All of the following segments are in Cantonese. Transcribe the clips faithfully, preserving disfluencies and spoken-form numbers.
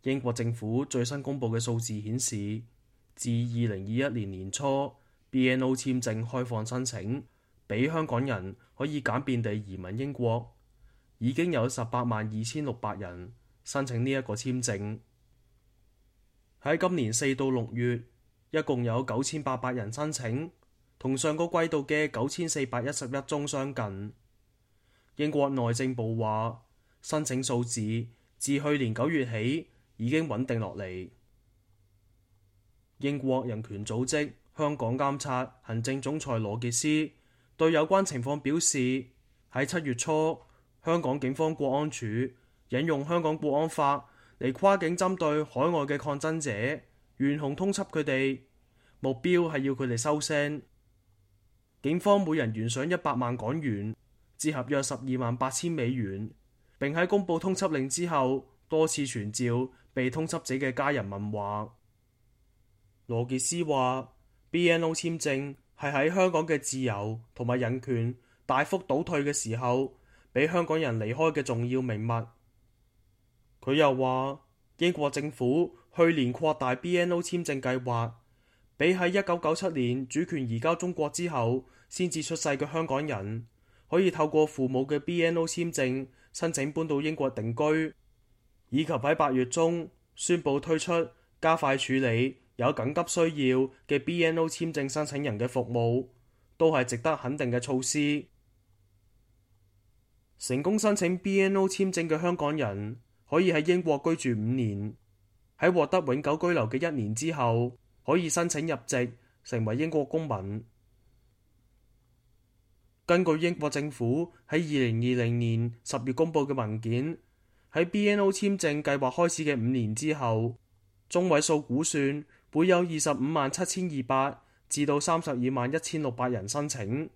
英國政府最新公布嘅數字顯示，自二零二一年年初 B N O 簽證開放申請，俾香港人可以簡便地移民英國，已經有十八萬二千六百人申請呢一個簽證。喺今年四到六月，一共有九千八百人申請，同上個季度嘅九千四百一十一宗相近。英國內政部話，申請數字自去年九月起已經穩定落嚟。英國人權組織香港監察行政總裁羅傑斯對有關情況表示，喺七月初，香港警方國安處引用香港國安法嚟跨境針對海外嘅抗爭者，懸紅通緝佢哋，目標係要佢哋收聲。警方每人懸賞一百萬港元，折合約十二萬八千美元，並喺公佈通緝令之後，多次傳召被通緝者嘅家人問話。羅傑斯話 B N O 簽證係喺香港嘅自由同埋人權大幅倒退嘅時候，俾香港人離開嘅重要名物。佢又話，英國政府去年擴大 B N O 簽證計劃，俾喺一九九七年主權移交中國之後先至出世嘅香港人，可以透過父母嘅 B N O 簽證申請搬到英國定居，以及喺八月中宣布推出加快處理有緊急需要嘅 B N O 簽證申請人嘅服務，都係值得肯定嘅措施。成功申請 B N O 簽證嘅香港人可以喺英國居住五年，喺獲得永久居留嘅一年之後，可以申請入籍成為英國公民。根據英國政府喺二零二零年十月公佈嘅文件，喺 B N O 簽證計劃開始嘅五年之後，中位數估算會有二十五萬七千二百至到三十二萬一千六百人申請。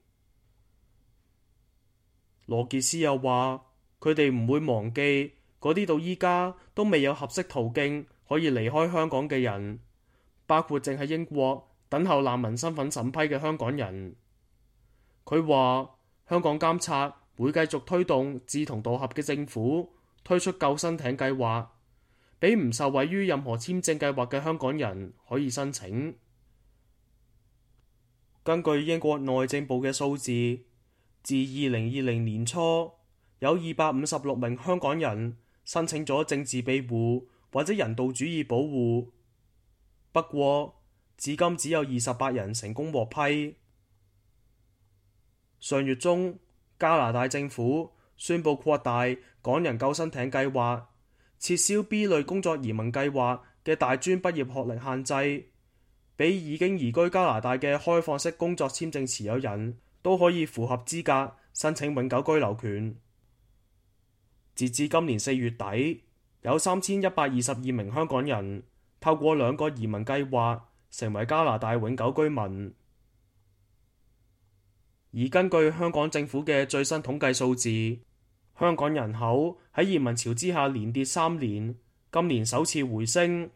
羅傑斯又話，佢哋唔會忘記嗰啲到依家都未有合適途徑可以離開香港嘅人，包括正喺英國等候難民身份審批嘅香港人。佢話，香港監察會繼續推動志同道合嘅政府推出救生艇計劃，俾唔受惠於任何簽證計劃嘅香港人可以申請。根據英國內政部嘅數字，自二零二零年初有二百五十六名香港人申請咗政治庇護或者人道主義保護，不過至今只有二十八人成功獲批。上月中，加拿大政府宣布擴大港人救生艇計劃，撤銷 B 類工作移民計劃嘅大專畢業學歷限制，俾已經移居加拿大嘅開放式工作簽證持有人都可以符合資格申請永久居留權。截至今年四月底，有三千一百二十二名香港人透過兩個移民計劃成為加拿大永久居民。而根據香港政府嘅最新統計數字，香港人口喺移民潮之下連跌三年，今年首次回升。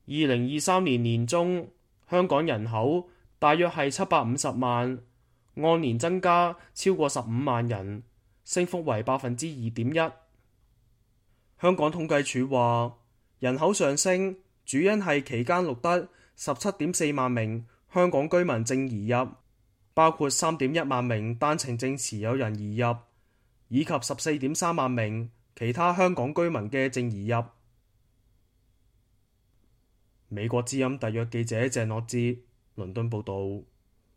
二零二三年年中，香港人口大約係七百五十萬，按年增加超過十五萬人，升幅為百分之二點一。香港統計處話，人口上升主因係期間錄得十七點四萬名香港居民淨移入，包括三點一萬名單程證持有人移入，以及十四點三萬名其他香港居民嘅淨移入。美國之音特約記者鄭樂哲倫敦報道。